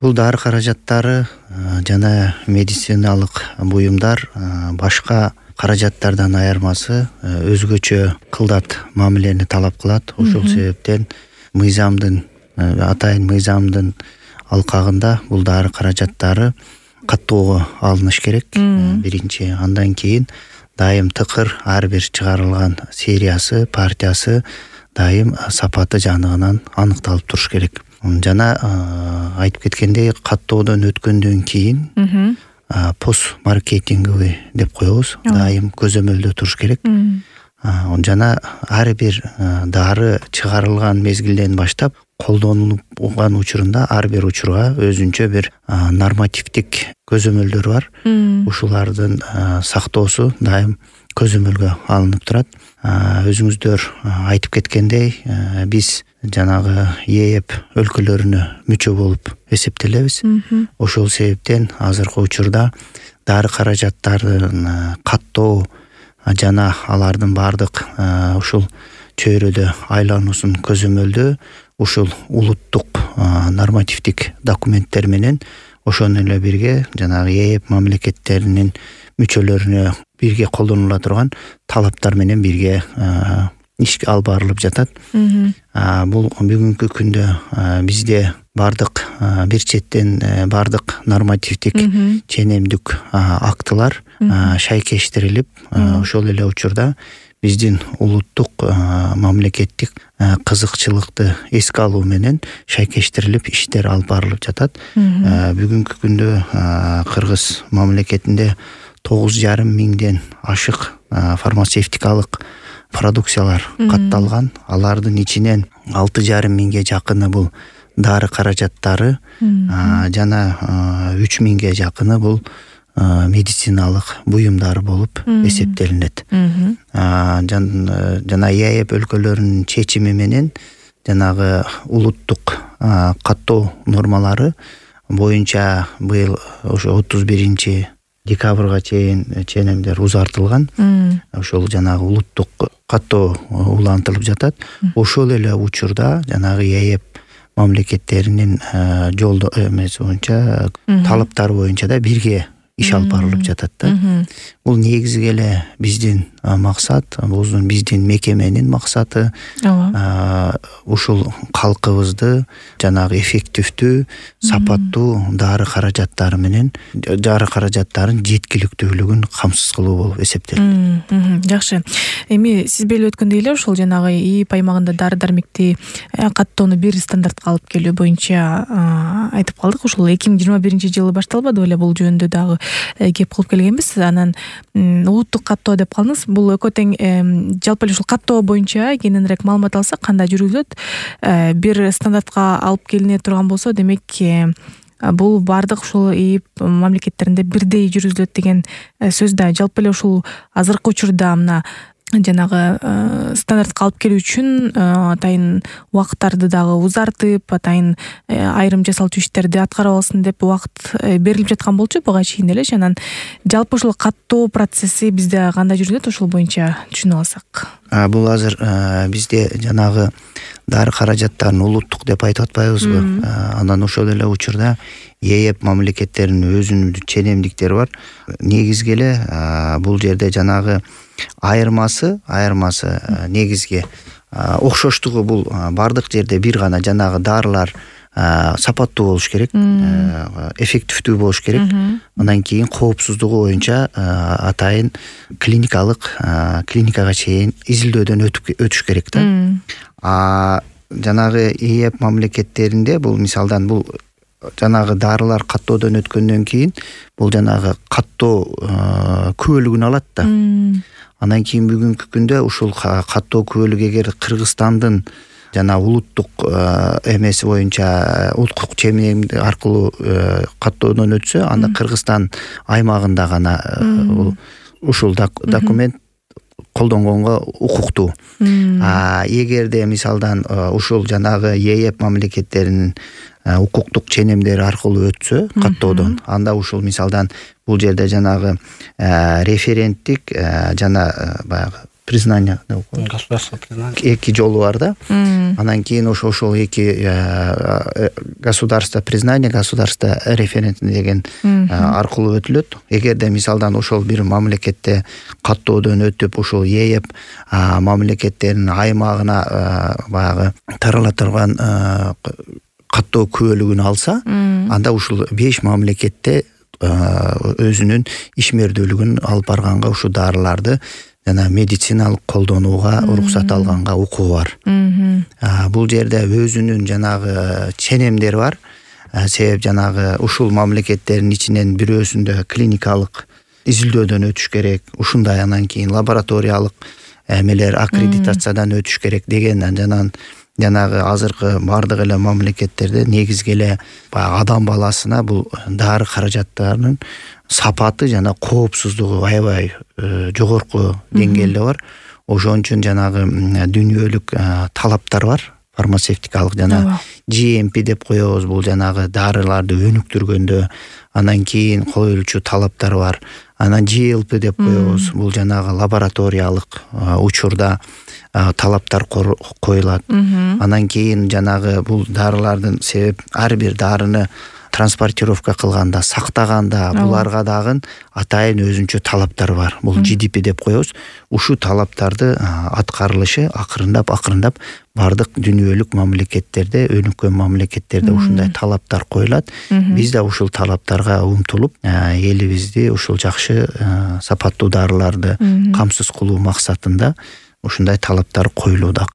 Бул дары каражаттары жана медициналык буюмдар башка каражаттардан айырмасы өзгөчө кылдат мамилени талап кылат. Ошол себептен атайын мыйзамдын алкагында бул дары каражаттары каттоого алыныш керек. Биринчи, андан кийин дайым тыкыр ар бир чыгарылган сериясы, партиясы дайым сапаты жаныгынан аныкталып туруш керек. Жана айтып кеткендей, каттоодон өткөндөн кийин пост маркетинговый деп коебуз, дайым көзөмөлдө туруш керек. Жана ар бир дары чыгарылган мезгилден баштап колдонулган учурунда ар бир учурга өзүнчө бир нормативдик көзөмөлдөр бар. Ушулардын сактоосу дайым көзөмөлгө алынып турат. Өзүңүздөр айтып кеткендей, биз жанагы ЕЭП өлкөлөрүнө мүчө болуп эсептелебиз. Ошол себептен азыркы учурда дары каражаттарын каттоо жана алардын баардык ушул чөйрөдө айлануусун көзөмөлдөө ушул улуттук нормативдик документтер менен ошону эле бирге жанагы ЕЭП мамлекеттеринин мүчөлөрүнө бирге колдонула турган талаптар менен бирге ишке алып барылып жатат. Бул бүгүнкү күндө бизде бардык бир четтен бардык нормативдик ченемдик актылар шайкештирилип, ошол эле учурда биздин улуттук мамлекеттик кызыкчылыкты эске алуу менен шайкештирилип иштер алып барылып жатат. Бүгүнкү күндө Кыргыз мамлекетинде 9,5 миңден ашык фармацевтикалык продукциялар катталган. Алардын ичинен 6,5 миңге жакыны бул дары каражаттары, жана 3 миңге жакыны бул медициналык буюмдар болуп эсептелинет. Жана ЕЭП өлкөлөрүнүн чечими менен жанагы улуттук каттоо нормалары боюнча быйыл ошо 31 декабрга чейин ченемдер узартылган. Ошол жанагы улуттук каттоо улантылып жатат. Ошол эле учурда жанагы ЕЭП мамлекеттеринин жолдо эмеси боюнча, талаптары боюнча да бирге иш алып барылып жатат да. Бул негизги эле биздин максат, биздин мекеменин максаты ушул калкыбызды жанагы эффективдүү, сапаттуу дары каражаттары менен дары каражаттарын жеткиликтүүлүгүн камсыз кылуу болуп эсептелет. Жакшы. Эми сиз белип өткөндөй эле ошол жанагы ИИП аймагында дары-дармекти каттоону бир стандартка алып келүү боюнча айтып калдык. Ошол 2021-жылы башталбады беле, бул жөнүндө дагы кеп кылып келгенбиз. Анан улуттук каттоо деп калдыңыз. Бул экөө тең жалпы эле ушул каттоо боюнча кененирээк маалымат алсак, кандай жүргүзүлөт? Бир стандартка алып келине турган болсо, демек бул баардык ушул ИИП мамлекеттеринде бирдей жүргүзүлөт деген сөз да. Жалпы эле ушул азыркы учурда мына жанагы стандартка алып келүү үчүн атайын убакыттарды дагы узартып, атайын айрым жасалчу иштерди аткарып алсын деп убакыт берилип жаткан болчу буга чейин эле. Анан жалпы ушул каттоо процесси бизде кандай жүргүзүлөт, ошол боюнча түшүнүп алсак. Бул азыр бизде жанагы дары каражаттарын улуттук деп айтып атпайбызбы? Андан ошол эле учурда ЕЭП мамлекеттеринин өзүнүн ченемдиктери бар. Негизги эле бул жерде жанагы айырмасы негизги окшоштугу бул бардык жерде бир гана жанагы дарылар сапаттуу болуш керек, эффективдүү болуш керек. Андан кийин коопсуздугу боюнча атайын клиникага чейин изилдөөдөн өтүш керек да. Жанагы ИИП мамлекеттеринде бул мисалдан бул жанагы дарылар каттоодон өткөндөн кийин бул жанагы каттоо күбөлүгүн алат да. Андан кийин бүгүнкү күндө ушул каттоо күбөлүгү эгер Кыргызстандын жана улуттук эмеси боюнча улуттук ченем аркылуу каттоодон өтсө, анда Кыргызстан аймагында гана ушул документ колдонгонго укуктуу. Эгерде мисалдан ушул жанагы ЕЭП мамлекеттеринин укуктук ченемдери аркылуу өтсө каттоодон, анда ушул мисалдан бул жерде жанагы референттик жана баягы признание, государственный признание эки жолу бар да. Анан кийин ошол эки государство признание, государство референтный деген аркылуу өтүлөт. Эгерде мисалдан ошол бир мамлекетте каттоодон өтүп ошол ээп мамлекеттердин аймагына баягы тарала турган каттоо күбөлүгүн алса, анда ушул 5 мамлекетте өзүнүн ишмердүүлүгүн алып барганга ушул дарыларды жана медициналык колдонууга уруксат алганга укугу бар. Бул жерде өзүнүн жанагы ченемдери бар. Себеп жанагы ушул мамлекеттердин ичинен бирөөсүндө клиникалык изилдөөдөн өтүш керек, ушундай анан кийин лабораториялык эмелер аккредитациядан өтүш керек деген жанагы азыркы бардык эле мамлекеттерде негизги эле баягы адам баласына бул дары каражаттарынын сапаты жана коопсуздугу аябай жогорку деңгээлде бар. Ошон үчүн жанагы дүйнөлүк талаптар бар. Фармацевтикалык жана GMP деп коебуз, бул жанагы дарыларды өнүктүргөндө анан кийин коюлчу талаптар бар. Анан GLP деп коебуз, бул жанагы лабораториялык учурда талаптар коюлат. Анан кийин жанагы бул дарылардын себеп ар бир дарыны транспортировка кылганда, сактаганда буларга дагы атайын өзүнчө талаптар бар. Бул GDP деп коебуз. Ушул талаптарды аткарылышы акырындап бардык дүйнөлүк мамлекеттерде, өнүккөн мамлекеттерде ушундай талаптар коюлат. Биз да ушул талаптарга умтулуп, элибизди ушул жакшы сапаттуу дарыларды камсыз кылуу максатында ушундай талаптар коюлууда.